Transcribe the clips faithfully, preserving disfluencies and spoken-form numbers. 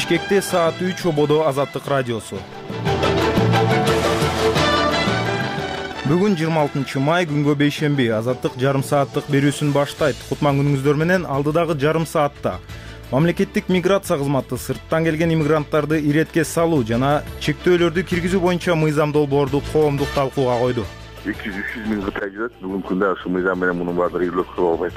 Бишкекте саат үч ободо Азаттык радиосу. Бүгүн жыйырма алтынчы май, күнгө бейшемби. Азаттык жарым сааттык берүүсүн баштайт. Кутман күнүңүздөр менен алдыдагы жарым саатта мамлекеттик миграция кызматы сырттан келген иммигранттарды иретке салуу жана чектөөлөрдү киргизүү боюнча мыйзам долбоорду коомдук талкууга койду. эки жүз үч жүз миң кытай жүрөт. Бүгүнкү күндө ушул мыйзам менен мунун баардыгы үйлөп кылып албайт.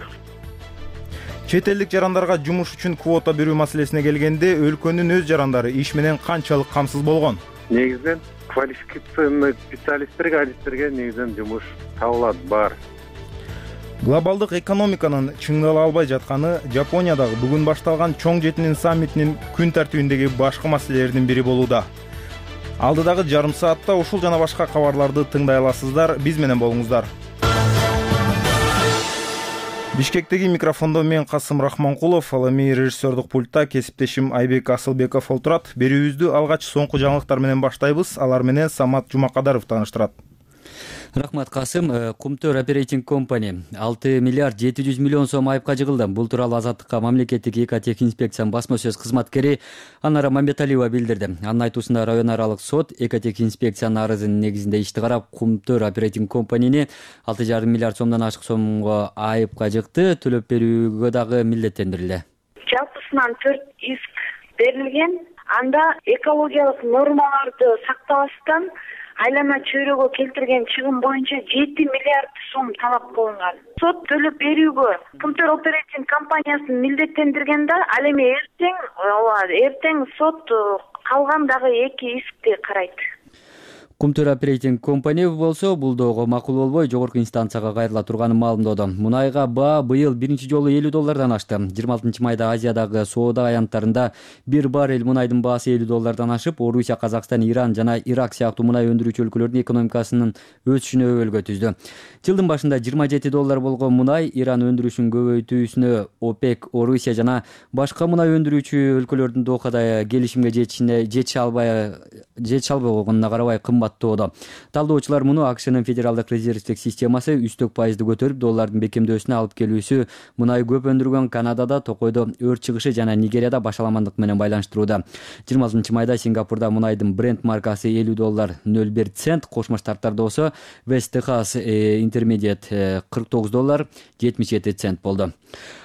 Чет элдик жарандарга жумуш үчүн квота берүү маселесине келгенде өлкөнүн өз жарандары иш менен канчалык камсыз болгон? Негизинен квалификациялык специалисттерге, адистерге негизинен жумуш табылат, бар. Глобалдык экономиканын чыңдала албай жатканы Жапониядагы бүгүн башталган чоң жетинин саммитинин күн тартибиндеги башкы маселелердин бири болууда. Алдыдагы жарым саатта ушул жана башка кабарларды тыңдай аласыздар. Биз менен болуңуздар. Бишкектеги микрофондо мен Касым Рахманкулов, ал эми режиссердук пультта кесиптешим Айбек Асылбеков олтурат. Берүүбүздү алгач соңку жаңылыктар менен баштайбыз. Алар менен Самат Жумакадаров тааныштырат. Рахмат, Касым. Кумтөр Оперейтинг Компани алты миллиард жети жүз миллион сом айыпка жыгылды. Бул тууралуу Азаттыкка мамлекеттик экотехинспекциянын басма сөз кызматкери Анара Мамбеталиева билдирди. Анын айтуусунда район аралык сот экотехинспекциянын арызынын негизинде ишти карап, Кумтөр Оперейтинг Компанини алты жарым миллиард сомдон ашык сомго айыпка жыкты, төлөп берүүгө дагы милдеттендирилди. Жалпысынан төрт иск берилген. Анда экологиялык нормаларды сактабастан айлана чөйрөгө келтирген чыгым боюнча жети миллиард сом талап кылынган. Сот төлөп берүүгө Кумтөр Оперейтинг компаниясын милдеттендирген да, ал эми эртең, ооба, эртең сот калган дагы эки искти карайт. Кумтөр Оперейтинг Компани болсо бул доого макул болбой жогорку инстанцияга кайрыла турганын маалымдоодо. Мунайга баа быйыл биринчи жолу элүү доллардан ашты. жыйырма алтынчы майда Азиядагы соода аянттарында бир баррель мунайдын баасы элүү доллардан ашып, Орусия, Казакстан, Иран жана Ирак сыяктуу мунай өндүрүүчү өлкөлөрдүн экономикасынын өсүшүнө өбөлгө түздү. Жылдын башында жыйырма жети доллар болгон мунай Иран өндүрүшүн көбөйтүүсүнө ОПЕК, Орусия жана башка мунай өндүрүүчү өлкөлөрдүн Дохада келишимге жетишине жетише албай жетише албай койгонуна карабай кымбат. Талдоочулар муну АКШнын федералдык резервдик системасы үстөк пайызды көтөрүп, доллардын бекемдөөсүнө алып келүүсү мунай көп өндүргөн Канадада, Токойдо өрт чыгышы жана Нигерияда башаламандык менен байланыштырууда. жыйырма алтынчы майда Сингапурда мунайдын Brent маркасы элүү доллар ноль бир цент, Кошмо Штаттарда болсо West Texas Intermediate кырк тогуз доллар жетимиш жети цент болду.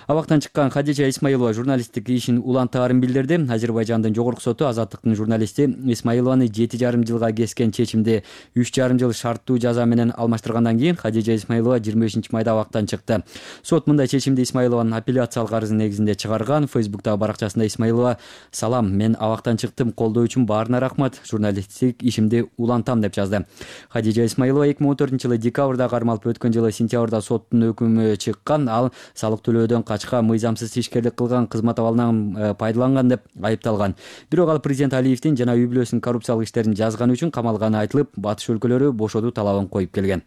Абактан чыккан Хадижа Исмаилова журналисттик ишин улантаарын билдирди. Азербайжандын жогорку соту Азаттыктын журналисти Исмаилованы жети жарым жылга кескен чечимди үч жарым жыл шарттуу жаза менен алмаштыргандан кийин Хадижа Исмаилова жыйырма бешинчи майда абактан чыкты. Сот мындай чечимди Исмаилованын апелляциялык арызы негизинде чыгарган. Фейсбуктагы баракчасында Исмаилова: "Салам, мен абактан чыктым, колдоо үчүн баарына рахмат, журналисттик ишимди улантам" деп жазды. Хадижа Исмаилова эки миң он төртүнчү жылы декабрда кармалып, өткөн жылы сентябрда соттун өкүмү чыккан. Ал салык төлөөдөн качка, мыйзамсыз ишкерлик кылган, кызмат абалынан пайдаланган деп айыпталган. Бирок ал президент Алиевдин жана үй бүлөсүнүн коррупциялык иштерин жазганы үчүн камалганы айтылып, батыш өлкөлөрү бошотуу талабын коюп келген.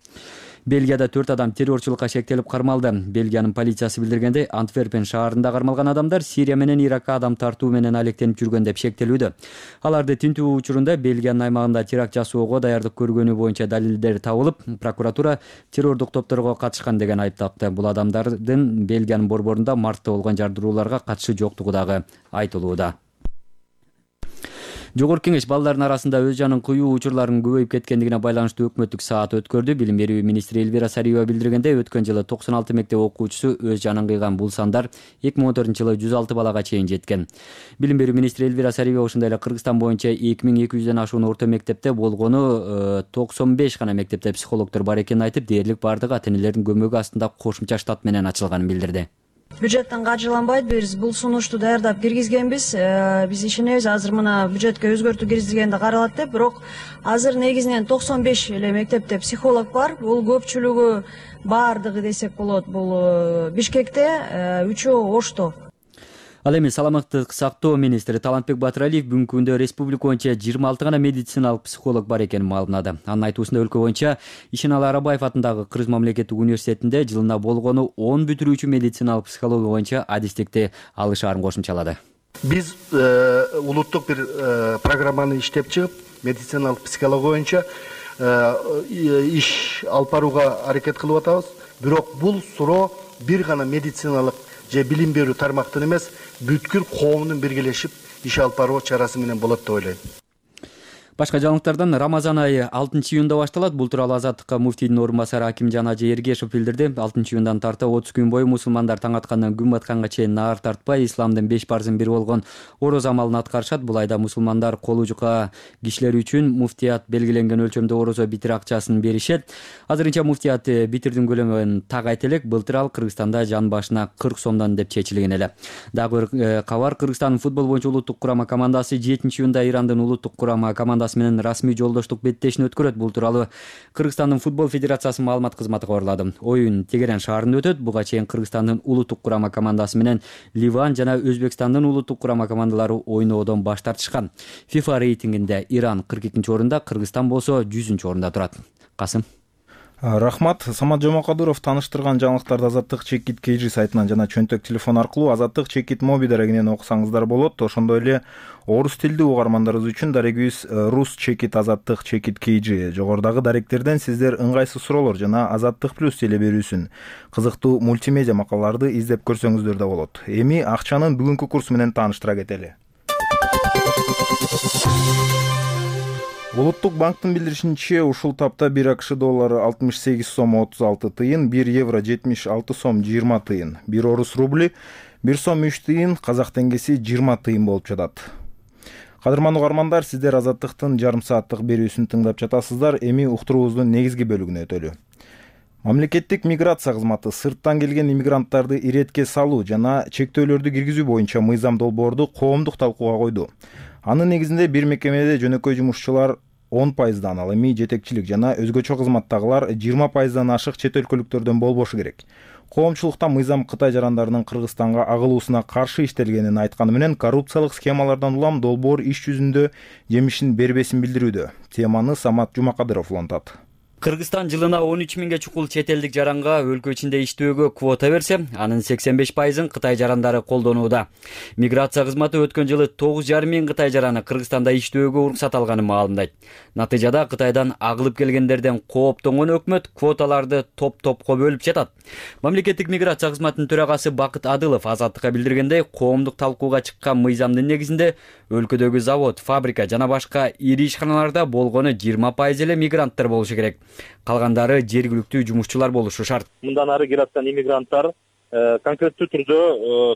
Бельгияда төрт адам террорчулукка шектелип кармалды. Бельгиянын полициясы билдиргендей, Антверпен шаарында кармалган адамдар Сирия менен Иракка адам тартуу менен алектенип жүргөн деп шектелүүдө. Аларды тинтүү учурунда Бельгиянын аймагында теракт жасоого даярдык көргөнү боюнча далилдер табылып, прокуратура террордук топторго катышкан деген айып такты. Бул адамдардын Бельгиянын борборунда мартта болгон жардырууларга катышы жоктугу дагы айтылууда. Жогорку кеңеш балдардын арасында өз жанын кыюу учурларынын көбөйүп кеткендигине байланыштуу өкмөттүк саат өткөрдү. Билим берүү министри Элвира Сариева билдиргендей, өткөн жылы токсон алты мектеп окуучусу өз жанын кыйган. Бул сандар эки миң он төртүнчү жылы жүз алты балага чейин жеткен. Билим берүү министри Элвира Сариева ошондой эле Кыргызстан боюнча эки миң эки жүздөн ашуун орто мектепте болгону токсон беш гана мектепте психологдор бар экенин айтып, дээрлик бардыгы ата-энелердин көмөгү астында кошумча штат менен ачылганын билдирди. Бюджеттен каржыланбайт, биз бул сунушту даярдап киргизгенбиз. Биз ишенебиз, азыр мына бюджетке өзгөртүү киргизилгенде каралат деп, бирок азыр негизинен токсон беш эле мектепте психолог бар. Бул көпчүлүгү, баардыгы десек болот, бул Бишкекте, үчөө Ошто. Ал эми саламаттык сактоо министри Талантбек Батыралиев бүгүнкү күндө республика боюнча жыйырма алты гана медициналык психолог бар экенин маалымдады. Анын айтуусунда өлкө боюнча Ишеналы Арабаев атындагы Кыргыз мамлекеттик университетинде жылына болгону он бүтүрүүчү медициналык психология боюнча адистикти алышаарын кошумчалады. Биз э, улуттук бир э, программаны иштеп чыгып, медициналык психология боюнча э, иш алып барууга аракет кылып атабыз. Бирок бул суроо бир гана медициналык же билим берүү тармактын эмес, бүткүл коомдун биргелешип иш алып баруу чарасы менен болот деп ойлойм. Башка жаңылыктардан Рамазан айы алтынчы июнда башталат. Бул тууралуу Азаттыкка муфтийдин орун басары Акимжан Ажы Эргешев билдирди. алтынчы июндан тарта отуз күн бою мусулмандар таң аткандан күн батканга чейин наар тартпай исламдын беш парзынын бири болгон ороз амалын аткарышат. Бул айда мусулмандар колу жука кишилер үчүн муфтият белгиленген өлчөмдө орозо битир акчасын беришет. Азырынча муфтият битирдин көлөмүн так айта элек. Былтыр ал Кыргызстанда жан башына кырк сомдон деп чечилген эле. Дагы бир кабар, Кыргызстандын футбол боюнча улуттук курама командасы жетинчи июнда Ирандын улуттук курама командасы менен расмий жолдоштук беттешин өткөрөт. Бул тууралуу Кыргызстандын футбол федерациясынын маалымат кызматы кабарлады. Оюн Тегеран шаарында өтөт. Буга чейин Кыргызстандын улуттук курама командасы менен Ливан жана Өзбекстандын улуттук курама командалары ойноодон баш тартышкан. FIFA рейтингинде Иран кырк экинчи орунда, Кыргызстан болсо жүзүнчү орунда турат. Касым. Рахмат. Самат Жомокадыров тааныштырган жаңылыктарды Азаттык Чекит Кейжи сайтынан жана чөнтөк телефон аркылуу Азаттык Чекит моби дарегинен окусаңыздар болот. Ошондой эле орус тилдүү угармандарыбыз үчүн дарегибиз Рус Чекит Азаттык Чекит Кейжи. Жогорудагы даректерден сиздер ыңгайсыз суроолор жана Азаттык плюс теле берүүсүн кызыктуу мультимедиа макалаларды издеп көрсөңүздөр да болот. Эми акчанын бүгүнкү курсу менен тааныштыра кетели. Улуттук банктын билдиришинче, ушул тапта бир АКШ доллары алтымыш сегиз сом отуз алты тыйын, бир евро жетимиш алты сом жыйырма тыйын, бир орус рубли бир сом үч тыйын, казак теңгеси жыйырма тыйын болуп жатат. Кадырман угармандар, сиздер Азаттыктын жарым сааттык берүүсүн тыңдап жатасыздар. Эми уктуруубуздун негизги бөлүгүнө өтөлү. Мамлекеттик миграция кызматы сырттан келген иммигранттарды иретке салуу жана чектөөлөрдү киргизүү боюнча мыйзам долбоорду коомдук талкууга койду. Анын негизинде бир мекемеде жөнөкөй жумушчулар он пайыздан, ал эми жетекчилик жана өзгөчө кызматтагылар жыйырма пайыздан ашык чет өлкөлүктөрдөн болбошу керек. Коомчулукта мыйзам Кытай жарандарынын Кыргызстанга агылуусуна каршы иштелгенин айтканы менен коррупциялык схемалардан улам долбоор иш жүзүндө жемишин бербесин билдирүүдө. Теманы Самат Жумакадыров улантат. Кыргызстан жылына он үч миңге чукул чет элдик жаранга өлкө ичинде иштөөгө квота берсе, анын сексен беш пайызын Кытай жарандары колдонууда. Миграция кызматы өткөн жылы тогуз жарым миң Кытай жараны Кыргызстанда иштөөгө уруксат алганын маалымдайт. Натыйжада Кытайдан агылып келгендерден кооптонгон өкмөт квоталарды топ-топко бөлүп жатат. Мамлекеттик миграция кызматынын төрагасы Бакыт Адылов Азаттыкка билдиргендей, коомдук талкууга чыккан мыйзамдын негизинде өлкөдөгү завод, фабрика жана башка ири ишканаларда болгону жыйырма пайыз эле мигранттар болушу керек. Калгандары жергиликтүү жумушчулар болушу шарт. Мындан ары келаткан иммигранттар конкреттүү түрдө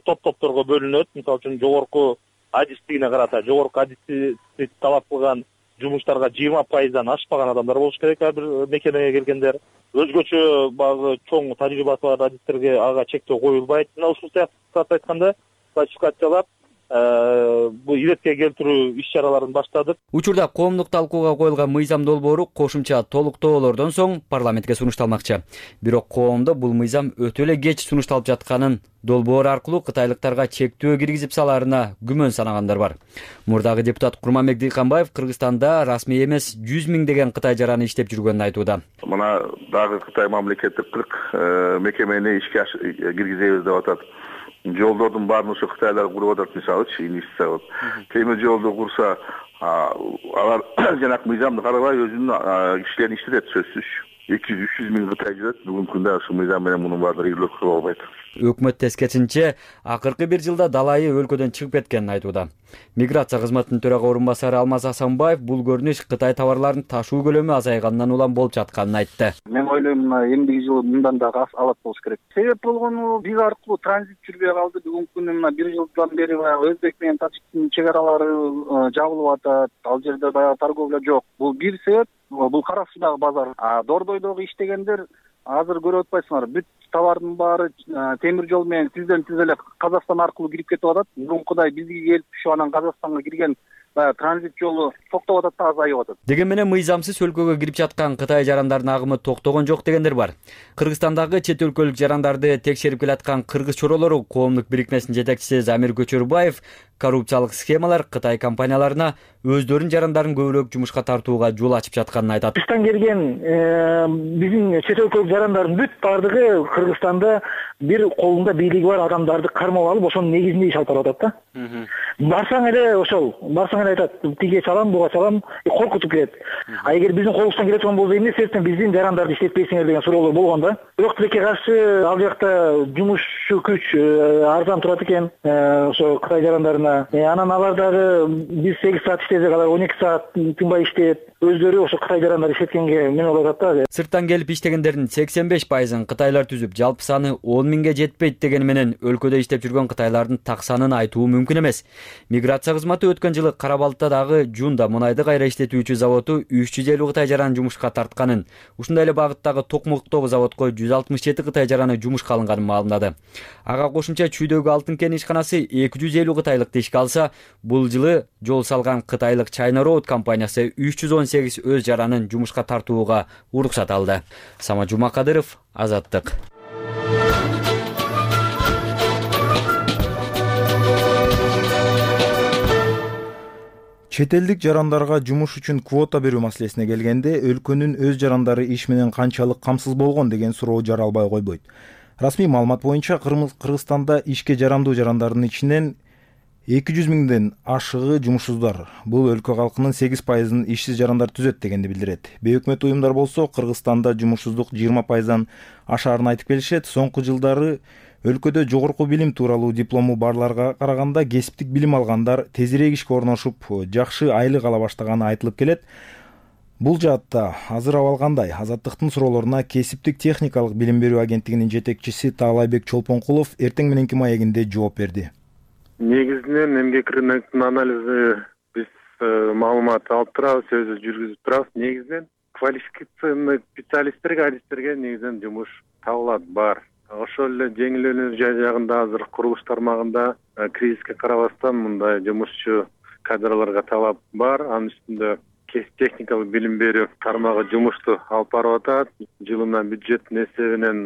топ-топторго бөлүнөт. Мисалы үчүн жогорку адистигине карата, жогорку адисти талап кылган жумуштарга жыйырма пайыздан ашпаган адамдар болуш керек ар бир мекемеге келгендер. Өзгөчө багы чоң тажрыйбасы бар адистерге ага чектөө коюлбайт. Мына ушул сыяктуу айтканда классификациялап бул иретке келтирүү иш чараларын баштадык. Учурда коомдук талкууга коюлган мыйзам долбоору кошумча толуктоолордон соң парламентке сунушталмакчы. Бирок коомдо бул мыйзам өтө эле кеч сунушталып жатканын, долбоор аркылуу кытайлыктарга чектөө киргизип салаарына күмөн санагандар бар. Мурдагы депутат Курманбек Дыйканбаев Кыргызстанда расмий эмес жүз миңдеген Кытай жараны иштеп жүргөнүн айтууда. Мына дагы Кытай мамлекеттик кырк мекемени ишке киргизебиз деп атат. Жолдордун баарын ошо кытайлар куруп атат, мисалычы, инвестиция кылып. Темир жолду курса, алар жанакы мыйзамды карабай өзүнүн кишилерин иштетет сөзсүз. эки жүз үч жүз миң Кытай жүрөт. Бүгүнкү күндө ушул мыйзам менен мунун баардыгы ийгилик кылып албайт. Өкмөт тескерисинче акыркы бир жылда далайы өлкөдөн чыгып кеткенин айтууда. Миграция кызматынын төрага орун басары Алмаз Асанбаев бул көрүнүш Кытай товарларын ташуу көлөмү азайгандан улам болуп жатканын айтты. Мен ойлойм, мына эмдиги жылы мындан дагы алат болуш керек. Себеп болгону биз аркылуу транзит жүрбөй калды. Бүгүнкү күндө мына бир жылдан бери баягы Өзбек менен Тажиктин чек аралары жабылып атат. Ал жерде баягы торговля жок. Бул бир себеп. Бул кара суудагы базар. А Дордойдогу иштегендер азыр көрүп атпайсыңар, бүт товардын баары темир жол менен тизден тиз эле Казакстан аркылуу кирип кетип атат. Мурункудай бизге келип ушу анан Казакстанга кирген баягы транзит жолу токтоп атат да азайып атат. Деген менен мыйзамсыз өлкөгө кирип жаткан Кытай жарандарынын агымы токтогон жок дегендер бар. Кыргызстандагы чет өлкөлүк жарандарды текшерип келаткан кыргыз чоролору коомдук бирикмесинин жетекчиси Замир Көчөрбаев коррупциялык схемалар Кытай компанияларына өздөрүнүн жарандарын көбүрөөк жумушка тартууга жол ачып жатканын айтат. Кыргызстан келген биздин чет өлкөлүк жарандардын бүт баардыгы Кыргызстанда бир колунда бийлиги бар адамдарды кармап алып, ошонун негизинде иш алып барып атат да. Барсаң эле ошол, барсаң эле айтат, тиге чалам, буга чалам, коркутуп келет. А эгер биздин колубуздан келе турган болсо эмне себептен биздин жарандарды иштетпейсиңер деген суроолор болгон да. Бирок тилекке каршы ал жакта жумушчу күч арзан турат экен. Ошо Кытай жарандарына да. Анан алар дагы биз сегиз саат иштесек алар он эки саат тынбай иштеп, өздөрү ошо Кытай жарандар иштеткенге мен болуп атат да. Сырттан келип иштегендердин сексен беш пайызын кытайлар түзүп, жалпы саны он миңге жетпейт дегени менен өлкөдө иштеп жүргөн кытайлардын так санын айтуу мүмкүн эмес. Миграция кызматы өткөн жылы Кара Балыктадагы Жунда мунайды кайра иштетүүчү заводу үч жүз элүү кытай жаранын жумушка тартканын, ушундай эле багыттагы Токмоктогу заводко жүз алтымыш жети кытай жараны жумушка алынганын маалымдады. Ага кошумча Чүйдөгү Алтын кен ишканасы эки жүз элүү кытайлыкты ишке алса, бул жылы жол салган кытайлык China Road компаниясы үч жүз он сегиз өз жаранын жумушка тартууга уруксат алды. Сама Жумакадыров, Азаттык. Чет элдик жарандарга жумуш үчүн квота берүү маселесине келгенде, өлкөнүн өз жарандары иш менен канчалык камсыз болгон деген суроо жаралбай койбойт. Расмий маалымат боюнча Кыргызстанда ишке жарамдуу жарандардын ичинен эки жүз миңден ашыгы жумушсуздар. Бул өлкө калкынын сегиз пайызын ишсиз жарандар түзөт дегенди билдирет. Бейөкмөт уюмдар болсо Кыргызстанда жумушсуздук жыйырма пайыздан ашаарын айтып келишет. Соңку жылдары өлкөдө жогорку билим тууралуу диплому барларга караганда кесиптик билим алгандар тезирээк ишке орношуп, жакшы айлык ала баштаганы айтылып келет. Бул жаатта азыр абал кандай? Азаттыктын суроолоруна кесиптик техникалык билим берүү агенттигинин жетекчиси Таалайбек Чолпонкулов эртең мененки маегинде жооп берди. Негизинен эмгек рынокунун анализи биз маалымат алып турабыз, өзү жүргүзүп турабыз. Негизинен квалификациялык специалисттерге, адистерге негизинен жумуш табылат, бар. Ошол эле жеңил өнөр жагында азыр курулуш тармагында кризиске карабастан мындай жумушчу кадрларга талап бар. Анын үстүндө техникалык билим берүү тармагы жумушту алып барып атат. Жылына бюджеттин эсебинен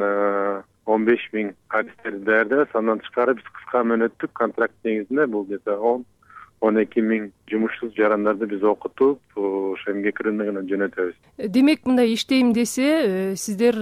он беш миң адистерди даярдайбыз. Андан тышкары биз кыска мөөнөттүк контракт негизинде бул жерде он эки миң жумушсуз жарандарды биз окутуп, ошо эмгек рыногуна жөнөтөбүз. Демек, мындай иштейм десе, сиздер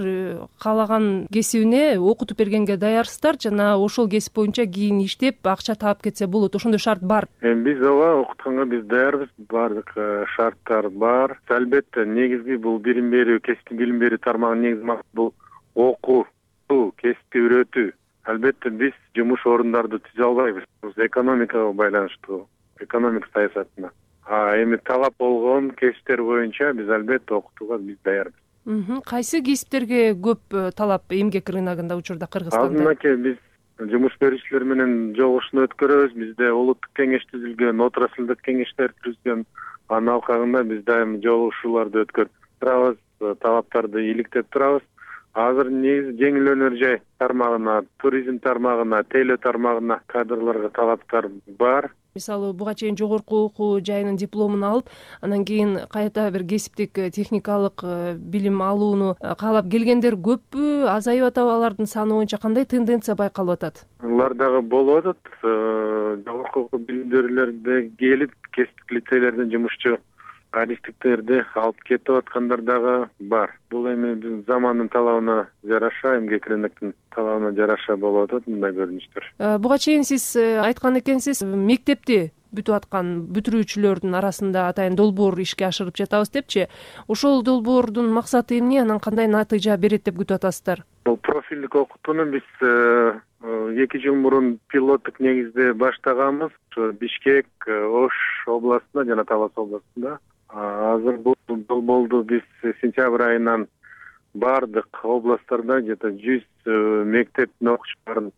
каалаган кесибине окутуп бергенге даярсыздар жана ошол кесип боюнча кийин иштеп акча таап кетсе болот. Ошондой шарт бар. Эми биз ооба окутканга биз даярбыз. Баардык шарттар бар. Албетте негизги бул билим берүү, кесиптик билим берүү тармагынын негизги максаты бул окутуу, кесипти үйрөтүү. Албетте биз жумуш орундарды түзө албайбыз. Бул экономикага байланыштуу. Экономика саясатына. А эми талап болгон кесиптер боюнча биз албетте окутууга биз даярбыз. Кайсы кесиптерге көп талап эмгек рыногунда учурда Кыргызстанда? Азырынча биз жумуш берүүчүлөр менен жолугушууну өткөрөбүз. Бизде улуттук кеңеш түзүлгөн, отраслдык кеңештер түзүлгөн. Анын алкагында биз дайым жолугушууларды өткөрүп турабыз, талаптарды иликтеп турабыз. Азыр негизи жеңил өнөр жай тармагына, туризм тармагына, тейлөө тармагына кадрларга талаптар бар. Мисалы, буга чейин жогорку окуу жайынын дипломун алып, анан кийин кайта бир кесиптик техникалык билим алууну каалап келгендер көппү, азайып атабы? Алардын саны боюнча кандай тенденция байкалып атат? Алар дагы болуп атат. Жогорку окуу билимдүүлөрдө келип, кесиптик лицейлерден жумушчу адистиктерди алып кетип аткандар дагы бар. Бул эми биздин замандын талабына жараша, эмгек рыноктун талабына жараша болуп атат мындай көрүнүштөр. Буга чейин сиз айткан экенсиз, мектепти бүтүп аткан бүтүрүүчүлөрдүн арасында атайын долбоор ишке ашырып жатабыз депчи. Ошол долбоордун максаты эмне, анан кандай натыйжа берет деп күтүп атасыздар? Бул профилдик окутууну биз эки жыл мурун пилоттук негизде баштаганбыз. Бишкек, Ош областында жана Талас областында. Азыр бул долбоорду биз сентябрь айынан бардык областтарда жета жүз мектептин окуучуларын,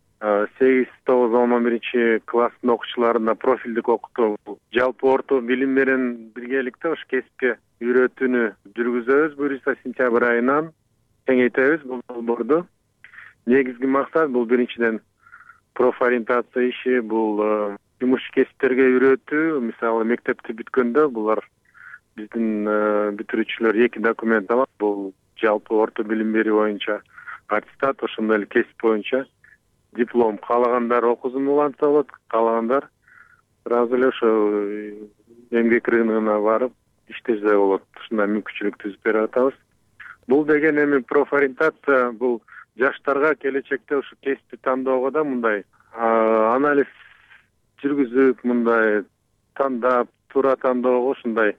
сегиз тогуз он биринчи класстын окуучуларына профилдик окутуу, жалпы орто билим менен биргеликте ошо кесипке үйрөтүүнү жүргүзөбүз. Буюрса сентябрь айынан кеңейтебиз бул долбоорду. Негизги максат бул биринчиден профориентация иши, бул жумуш кесиптерге үйрөтүү. Мисалы, мектепти бүткөндө булар биздин бүтүрүүчүлөр эки документ алат. Бул жалпы орто билим берүү боюнча аттестат, ошондой эле кесип боюнча диплом. Каалагандар окуусун улантса болот, каалагандар сразу эле ошо эмгек рыногуна барып иштесе болот. Ушундай мүмкүнчүлүк түзүп берип атабыз. Бул деген эми профориентация, бул жаштарга келечекте ушу кесипти тандоого да мындай анализ жүргүзүп, мындай тандап, туура тандоого ушундай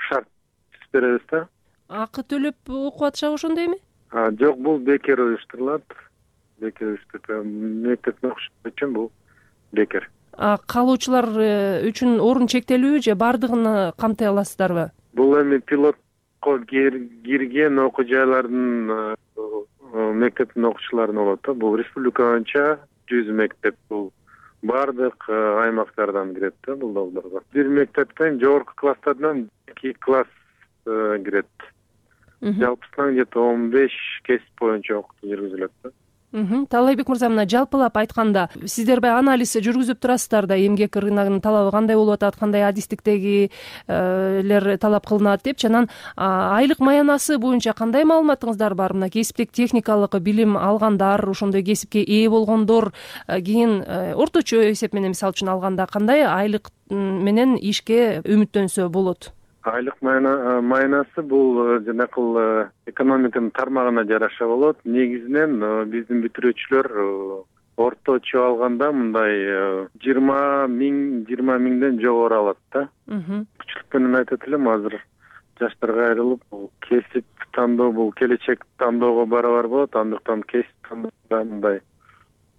шарт түзүп беребиз да. Акы төлөп окуп атышабы ошондойбу? Жок, бул бекер уюштурулат. Бекер уюштурулат. Мектептин окуучулары үчүн бул бекер. калуучулар үчүн орун чектелүүбү же баардыгын камтый аласыздарбы? Бул эми пилотко кирген окуу жайлардын мектептин окуучуларына болот да. Бул республика боюнча жүз мектеп, бул баардык аймактардан кирет да бул долбоорго. Бир мектептен жогорку класстардан эки класс кирет. Жалпысынан где-то он беш кесип боюнча окутуу жүргүзүлөт да. Таалайбек мырза, мына жалпылап айтканда сиздер баягы анализ жүргүзүп турасыздар да, эмгек рыногунун талабы кандай болуп атат, кандай адистиктегилер талап кылынат депчи. Анан айлык маянасы боюнча кандай маалыматыңыздар бар? Мына кесиптик техникалык билим алгандар, ошондой кесипке ээ болгондор кийин орточо эсеп менен мисалы үчүн алганда кандай айлык менен ишке үмүттөнсө болот? Айлык маянасы бул жанакыл экономиканын тармагына жараша болот. Негизинен биздин бүтүрүүчүлөр орточо алганда мындай жыйырма миң жыйырма миңден жогору алат да. Күчүлүк менен айтат элем, азыр жаштарга айрылып бул кесип тандоо, бул келечек тандоого барабар болот. Андыктан кесип тандоого мындай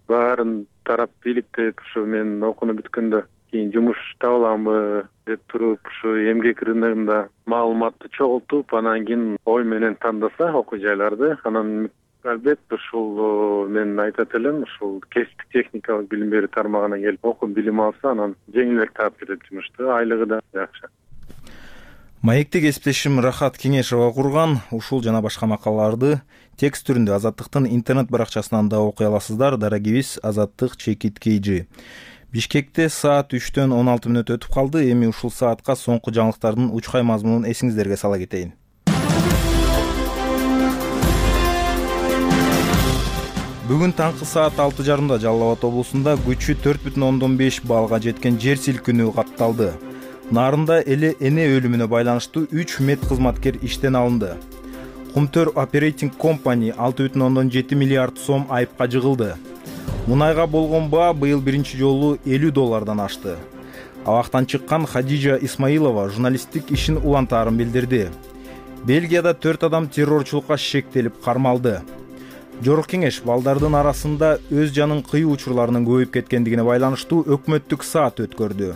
баарын тарап бийликтеп, ушу мен окууну бүткөндө кийин жумуш таба аламбы деп туруп, ушу эмгек рыногунда маалыматты чогултуп, анан кийин ой менен тандаса окуу жайларды, анан албетте ушул мен айтат элем, ушул кесиптик техникалык билим берүү тармагына келип окуп билим алса, анан жеңилирээк таап кетет жумушту, айлыгы да жакшы. Маекти кесиптешим Рахат Кеңешова курган. Ушул жана башка макалаларды текст түрүндө Азаттыктын интернет баракчасынан да окуй аласыздар. Дарагибиз Азаттык чекит кейжи. Бишкекте саат үчтөн он алты мүнөт өтүп калды. Эми ушул саатка соңку жаңылыктардын учкай мазмунун эсиңиздерге сала кетейин. Бүгүн таңкы саат алты жарымда Жалал Абад облусунда күчү төрт бүтүн ондон беш баллга жеткен жер силкинүү катталды. Нарында эле эне өлүмүнө байланыштуу үч медкызматкер иштен алынды. Кумтөр Operating Company алты бүтүн ондон жети миллиард сом айыпка жыгылды. Мунайга болгон баа быйыл биринчи жолу элүү доллардан ашты. Абактан чыккан Хадижа Исмаилова журналисттик ишин улантаарын билдирди. Бельгияда төрт адам террорчулукка шектелип кармалды. Жогорку кеңеш балдардын арасында өз жанын кыйуу учурларынын көбөйүп кеткендигине байланыштуу өкмөттүк саат өткөрдү.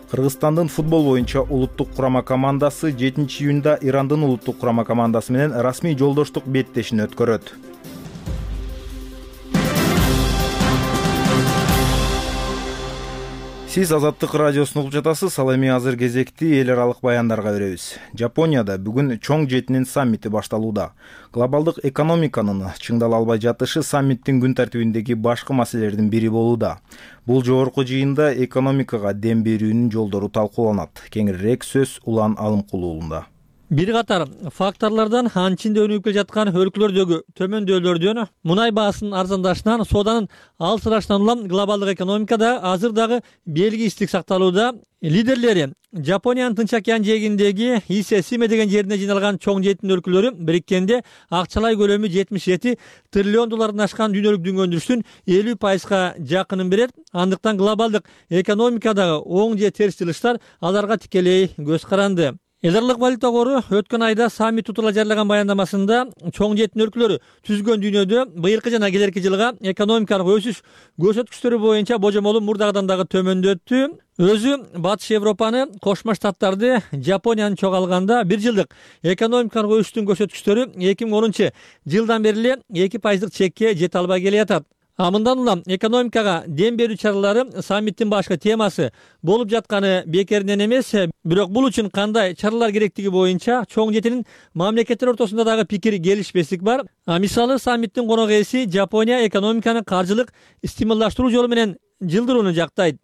Кыргызстандын футбол боюнча улуттук курама командасы жетинчи июнда Ирандын улуттук курама командасы менен расмий жолдоштук беттешин өткөрөт. Сиз Азаттык радиосун угуп жатасыз. Ал эми азыр кезекти эл аралык баяндарга беребиз. Жапонияда бүгүн чоң жетинин саммити башталууда. Глобалдык экономиканын чыңдала албай жатышы саммиттин күн тартибиндеги башкы маселелердин бири болууда. Бул жогорку жыйында экономикага дем берүүнүн жолдору талкууланат. Кеңирээк сөз Улан Алымкулуулунда. Бир катар факторлордон анчинде өнүгүп келе жаткан өлкөлөрдөгү төмөндөөлөрдөн мунай баасынын арзандашынан, сооданын алсырашынан улам глобалдык экономикада азыр дагы белгисиздик сакталууда. Лидерлери Жапониянын Тынч океан жээгиндеги Исе Симе деген жерине жыйналган чоң жетин өлкөлөрү бириккенде акчалай көлөмү жетимиш жети триллион доллардан ашкан дүйнөлүк дүң өндүрүштүн элүү пайызга жакынын берет. Андыктан глобалдык экономикадагы оң же терс жылыштар аларга тикелей көз каранды. Эл аралык валюта кору өткөн айда саммит тууралуу жарыяган баяндамасында чоң жетин өлкөлөрү түзгөн дүйнөдө быйылкы жана келерки жылга экономикалык өсүш көрсөткүчтөрү боюнча божомолун мурдагыдан дагы төмөндөттү. Өзү Батыш Европаны, Кошмо Штаттарды, Жапонияны чогуу алганда бир жылдык экономикалык өсүштүн көрсөткүчтөрү эки миң онунчу жылдан бери эле эки пайыздык чекке жете албай келатат. А мындан улам экономикага дем берүү чаралары саммиттин башкы темасы болуп жатканы бекеринен эмес, бирок бул үчүн кандай чаралар керектиги боюнча чоң жетинин мамлекеттер ортосунда дагы пикир келишпестик бар. А мисалы саммиттин конок ээси Жапония экономиканы каржылык стимулдаштыруу жолу менен жылдырууну жактайт.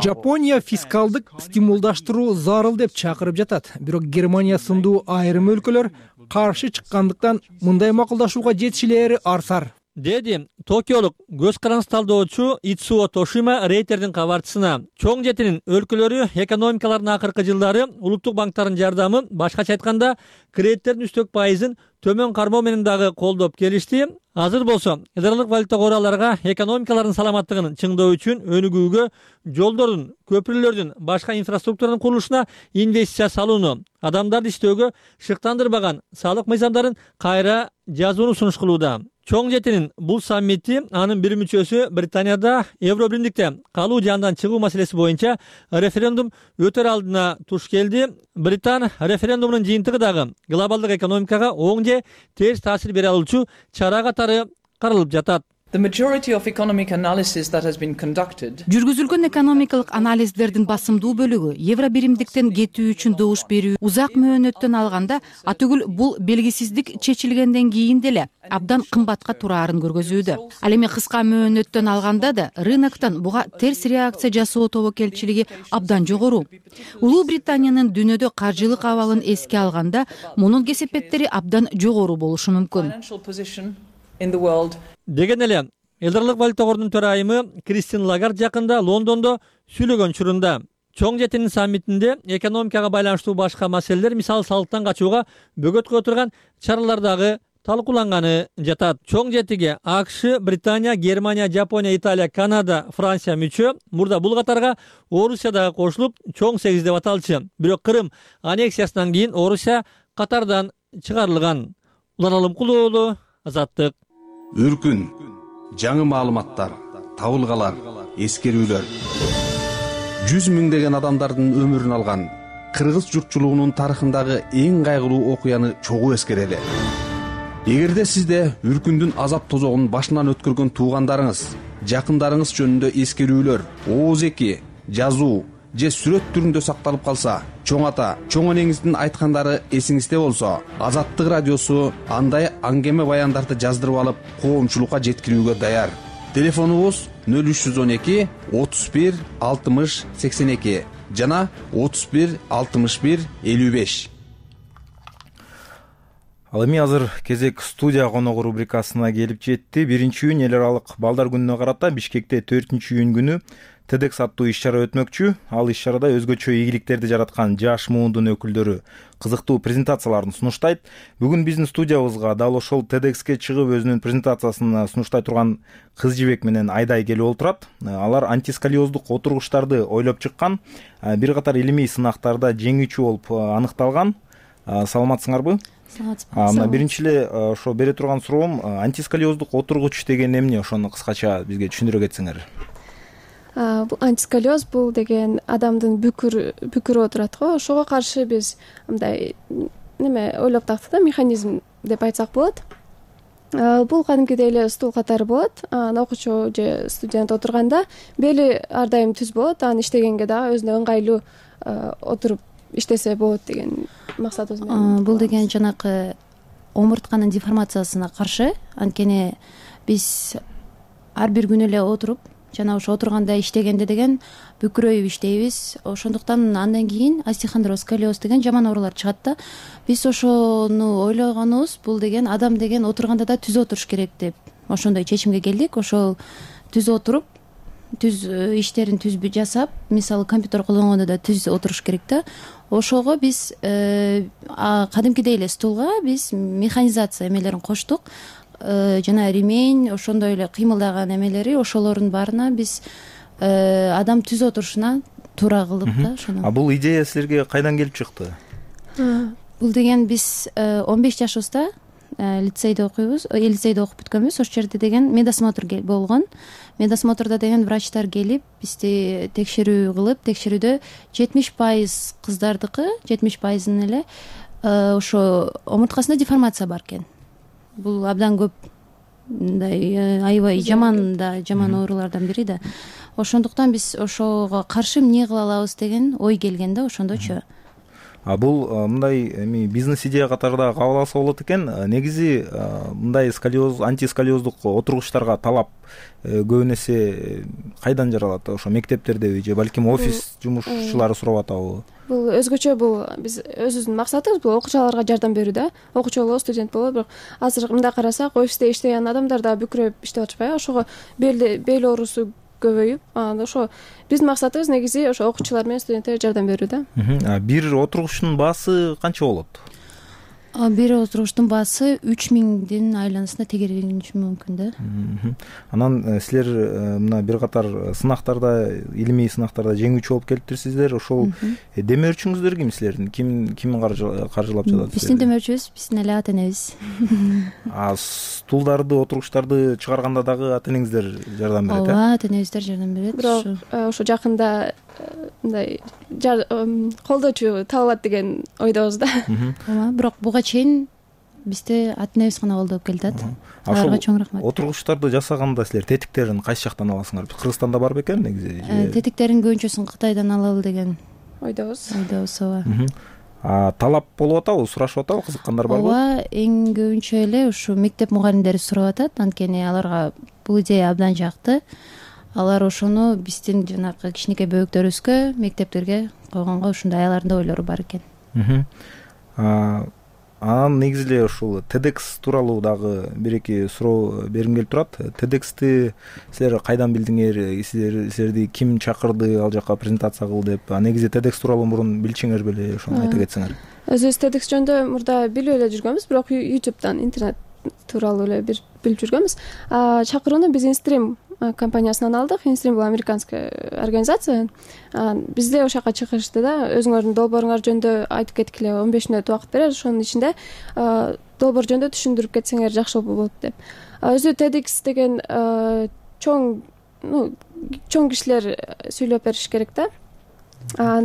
Жапония фискалдык стимулдаштыруу зарыл деп чакырып жатат. Бирок Германия сындуу айрым өлкөлөр каршы чыккандыктан мындай макулдашууга жетишилери арсар, деди Токиолук көз карандысыз талдоочу Итсуо Тошима Рейтердин кабарчысына. Чоң жетинин өлкөлөрү экономикаларынын акыркы жылдары улуттук банктардын жардамы, башкача айтканда кредиттердин үстөк пайызын төмөн кармоо менен дагы колдоп келишти. Азыр болсо эл аралык валюта кору аларга экономикаларынын саламаттыгын чыңдоо үчүн өнүгүүгө, жолдордун, көпүрөлөрдүн, башка инфраструктуранын курулушуна инвестиция салууну, адамдарды иштөөгө шыктандырбаган салык мыйзамдарын кайра жазууну сунуш кылууда. чоң жетинин бул саммити анын бир мүчөсү Британияда Евро биримдикте калуу же андан чыгуу маселеси боюнча референдум өтөр алдына туш келди. Британ референдумунун жыйынтыгы дагы глобалдык экономикага оң же терс таасир бере алуучу чара катары каралып жатат. Жүргүзүлгөн экономикалык анализдердин басымдуу бөлүгү евро биримдиктен кетүү үчүн добуш берүү узак мөөнөттөн алганда атүгүл бул белгисиздик чечилгенден кийин деле абдан кымбатка тураарын көргөзүүдө. Ал эми кыска мөөнөттөн алганда да рыноктон буга терс реакция жасоо тобокелчилиги абдан жогору. Улуу Британиянын дүйнөдө каржылык абалын эске алганда мунун кесепеттери абдан жогору болушу мүмкүн. Деген эле Элдарлык валюта кордунун төрайымы Кристин Лагард жакында Лондондо сүйлөгөн учурунда чоң жетинин саммитинде экономикага байланыштуу башка маселелер, мисалы салыктан качууга бөгөткө отурган чаралар дагы талкууланганы жатат. Чоң жетиге АКШ, Британия, Германия, Жапония, Италия, Канада, Франция мүчө. Мурда бул катарга Орусия дагы кошулуп, чоң сегиз деп аталчу. Бирок Кырым аннексиясынан кийин Орусия катардан чыгарылган. Улан Алымкулуу, Азаттык. Үркүн, жаңы маалыматтар, табылгалар, эскерүүлөр. Жүз миңдеген адамдардын өмүрүн алган кыргыз журтчулугунун тарыхындагы эң кайгылуу окуяны чогуу эскерели. Эгерде сизде үркүндүн азап тозогун башынан өткөргөн туугандарыңыз, жакындарыңыз жөнүндө эскерүүлөр, ооз эки, жазуу же сүрөт түрүндө сакталып калса, чоң ата, чоң энеңиздин айткандары эсиңизде болсо, Азаттык радиосу андай аңгеме баяндарды жаздырып алып, коомчулукка жеткирүүгө даяр. Телефонубуз нөл үч жүз он эки отуз бир алтымыш сексен эки жана отуз бир алтымыш бир элүү беш. Ал эми азыр кезек студия коногу рубрикасына келип жетти. Биринчи июнь эл аралык балдар күнүнө карата Бишкекте төртүнчү июнь күнү TEDx аттуу иш-чара өтмөкчү. Ал иш-чарада өзгөчө ийгиликтерди жараткан жаш муундун өкүлдөрү кызыктуу презентацияларын сунуштайт. Бүгүн биздин студиябызга дал ошол TEDxке чыгып өзүнүн презентациясын сунуштай турган кыз жибек менен Айдай келип отурат. Алар антисколиоздук отургучтарды ойлоп чыккан, бир катар илимий сынактарда жеңүүчү болуп аныкталган. Саламатсыңарбы? Саламатсызбы. Мына биринчи эле ошо бере турган суроом, антисколиоздук отургуч деген эмне? Ошону кыскача бизге түшүндүрө кетсеңер. Бул антисколиоз бул деген адамдын бүкүр бүкүрү отурат го. Ошого каршы биз мындай неме ойлоп таптык да, механизм деп айтсак болот. Бул кадимкидей эле стул катары болот. Анан окуучу же студент отурганда бели ар дайым түз болот. Анан иштегенге дагы өзүнө ыңгайлуу отуруп иштесе болот деген максатыбыз менен. Бул деген жанакы омуртканын деформациясына каршы, анткени биз ар бир күнү эле отуруп жана ошо отурганда иштегенде деген бүкүрөйүп иштейбиз. Ошондуктан андан кийин остеохондроз, сколиоз деген жаман оорулар чыгат да. Биз ошону ойлогонубуз, бул деген адам деген отурганда да түз отуруш керек деп ошондой чечимге келдик. Ошол түз отуруп, түз иштерин түз жасап, мисалы компьютер колдонгондо да түз отуруш керек да. Ошого биз кадимкидей эле стулга биз механизация эмелерин коштук. Жана ремень, ошондой эле кыймылдаган эмелери, ошолордун баарына биз адам түз отурушуна туура кылдык да ошону. А бул идея силерге кайдан келип чыкты? Бул деген биз он беш жашыбызда лицейде окуйбуз, лицейде окуп бүткөнбүз. Ошол жерде деген медосмотр болгон. Медосмотрдо деген врачтар келип, бизди текшерүү кылып, текшерүүдө жетимиш пайыз кыздардыкы, жетимиш пайызын эле ошо омурткасында деформация бар экен. Бул абдан көп мындай аябай жаман да, жаман оорулардан бири да. Ошондуктан биз ошого каршы эмне кыла алабыз деген ой келген да ошондочу. А бул мындай эми бизнес идея катары да кабыл алса болот экен. Негизи мындай сколиоз, антисколиоздук отургучтарга талап көбүн эсе кайдан жаралат? Ошо мектептердеби же балким офис жумушчулары сурап атабы? Бул өзгөчө, бул биз өзүбүздүн максатыбыз бул окуучуларга жардам берүү да. Окуучу болобу, студент болобу, бирок азыр мындай карасак, офисте иштеген адамдар да бүкүрөп иштеп атышпайбы? Ошого бел бел оорусу көбөйүп, анан ошо биздин максатыбыз негизи ошо окуучулар менен студенттерге жардам берүү да. Бир отургучтун баасы канча болот? бир отургучтун баасы үч миңдин айланасында тегерениши мүмкүн да. Анан силер мына бир катар сынактарда, илимий сынактарда жеңүүчү болуп келиптирсиздер. Ошол демөөрчүңүздөр ким силердин? Ким ким каржылап жатат? Биздин демөөрчүбүз биздин эле ата энебиз. А стулдарды, отургучтарды чыгарганда дагы ата энеңиздер жардам берет э? Ооба, ата энебиздер жардам берет. Бирок ошо жакында мындай колдоочу табылат деген ойдобуз да. Ооба, бирок буга чейин бизде ата энебиз гана колдоп келатат. Аларга чоң рахмат. Отургучтарды жасаганда силер тетиктерин кайсы жактан аласыңар? Кыргызстанда бар бекен негизи? Тетиктердин көбүнчөсүн Кытайдан алалы деген ойдобуз. Ойдобуз, ооба. А талап болуп атабы, сурашып атабы, кызыккандар барбы? Ооба, эң көбүнчө эле ушу мектеп мугалимдери сурап атат, анткени аларга бул идея абдан жакты. Алар ошону биздин жанагы кичинекей бөбөктөрүбүзгө мектептерге койгонго ушундай алардын ойлору бар экен. Анан негизи эле ушул TEDx тууралуу дагы бир эки суроо бергим келип турат. TEDx'ти силер кайдан билдиңер? Силер силерди ким чакырды ал жака презентация кыл деп? Негизи TEDx тууралуу мурун билчиңер беле? Ошону айта кетсеңер. Өзүбүз TEDx жөнүндө мурда билип эле жүргөнбүз, бирок YouTube'дан, интернет тууралуу эле бир билип жүргөнбүз. Чакырууну биз Instream компаниясынан алдык. Instream бул американская организация. Бизде ошол жака чакырышты да, өзүңөрдүн долбооруңар жөнүндө айтып кеткиле, он беш мүнөт убакыт берер, ошонун ичинде долбоор жөнүндө түшүндүрүп кетсеңер жакшы болот деп. Өзү TEDx деген чоң, ну, чоң кишилер сүйлөп бериш керек да.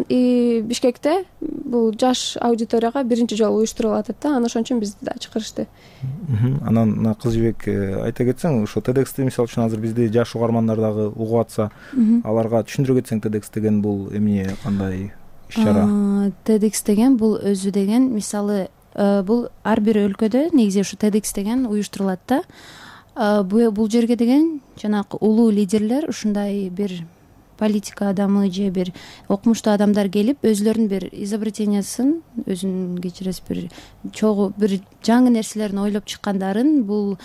И Бишкекте бул жаш аудиторияга биринчи жолу уюштурулуп атат да, анан ошон үчүн бизди да чакырышты. Анан Кыз Жибек айта кетсең, ошо TEDx'ти мисалы үчүн азыр бизде жаш угармандар дагы угуп атса, аларга түшүндүрө кетсең, TEDx деген бул эмне, кандай иш-чара? TEDx деген бул өзү деген, мисалы, бул ар бир өлкөдө негизи ушу TEDx деген уюштурулат да. Бул жерге деген жанагы улуу лидерлер, ушундай бир политика адамы же бир окумуштуу адамдар келип, өзүлөрүнүн бир изобретениясын, өзүн кечиресиз, бир чогуу бир жаңы нерселерин ойлоп чыккандарын, бул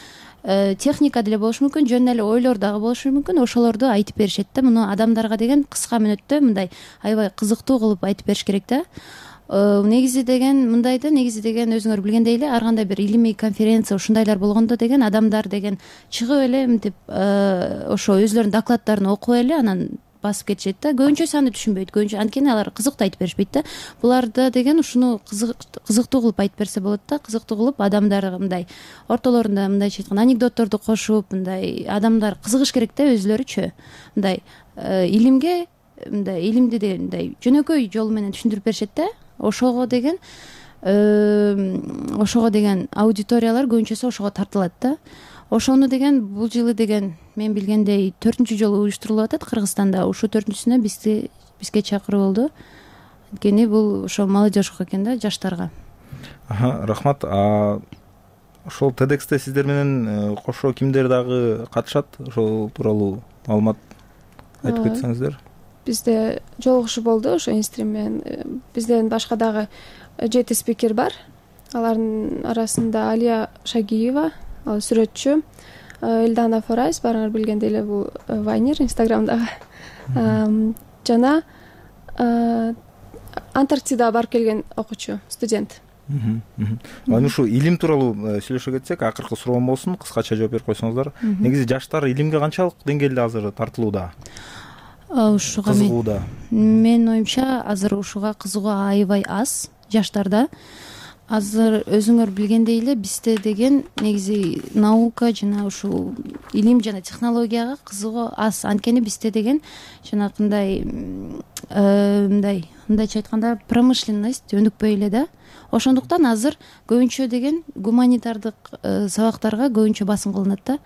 техника деле болушу мүмкүн, жөн эле ойлор дагы болушу мүмкүн, ошолорду айтып беришет да. Муну адамдарга деген кыска мүнөттө мындай аябай кызыктуу кылып айтып бериш керек да. Негизи деген мындай да, негизи деген өзүңөр билгендей эле ар кандай бир илимий конференция ушундайлар болгондо деген адамдар деген чыгып эле мынтип ошо өзүлөрүнүн докладдарын окуп эле анан басып кетишет да. Көбүнчөсү аны түшүнбөйт, көбүнчө анткени алар кызыктуу айтып беришпейт да. Буларда деген ушуну кызыктуу кылып айтып берсе болот да, кызыктуу кылып адамдар мындай ортолорунда мындайча айтканда анекдотторду кошуп, мындай адамдар кызыгыш керек да өзүлөрүчү. Мындай илимге, мындай илимди деген мындай жөнөкөй жол менен түшүндүрүп беришет да. Ошого деген ошого деген аудиториялар көбүнчөсү ошого тартылат да. Ошону деген бул жылы деген мен билгендей төртүнчү жолу уюштурулуп атат Кыргызстанда. Ушул төртүнчүсүнө бизди бизге чакыруу болду. Анткени бул ошо молодежьга экен да, жаштарга. Рахмат. Ошол TEDx'те сиздер менен кошо кимдер дагы катышат? Ошол тууралуу маалымат айтып кетсеңиздер. Бизде жолугушуу болду ошо Instream менен. Бизден башка дагы жети спикер бар. Алардын арасында Алия Шагиева, ал сүрөтчү, Элдана Форайс, баарыңар билгендей эле бул вайнер Инстаграмдагы, жана Антарктидага барып келген окуучу, студент. Анан ушу илим тууралуу сүйлөшө кетсек, акыркы суроом болсун, кыскача жооп берип койсоңуздар. Негизи жаштар илимге канчалык деңгээлде азыр тартылууда? Ушуга кызыгууда? Менин оюмча азыр ушуга кызыгуу аябай аз жаштарда. Азыр өзүңөр билгендей эле бизде деген негизи наука жана ушул илим жана технологияга кызыгуу аз. Анткени бизде деген жанакындай мындай мындайча айтканда промышленность өнүкпөй эле да. Ошондуктан азыр көбүнчө деген гуманитардык сабактарга көбүнчө басым кылынат да.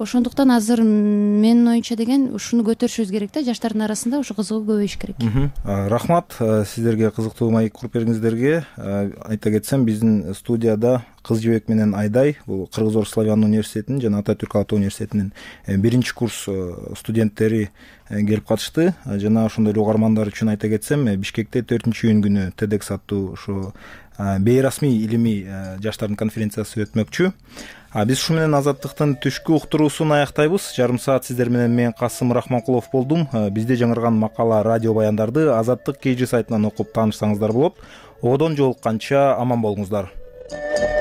Ошондуктан азыр менин оюмча деген ушуну көтөрүшүбүз керек да, жаштардын арасында ушу кызыгуу көбөйүш керек. Рахмат сиздерге, кызыктуу маек куруп бергениңиздерге. Айта кетсем, биздин студияда Кыз Жибек менен Айдай, бул Кыргыз-Орус славян университетинин жана Ататүрк ата университетинин биринчи курс студенттери келип катышты. Жана ошондой эле угармандар үчүн айта кетсем, Бишкекте төртүнчү июнь күнү TEDx аттуу ошо бейрасмий илимий жаштардын конференциясы өтмөкчү. Биз ушу менен Азаттыктын түшкү уктуруусун аяктайбыз. Жарым саат сиздер менен мен Касым Рахманкулов болдум. Бизде жаңырган макала, радио баяндарды Азаттык кей жи сайтынан окуп таанышсаңыздар болот. Одон жолукканча аман болуңуздар. болот.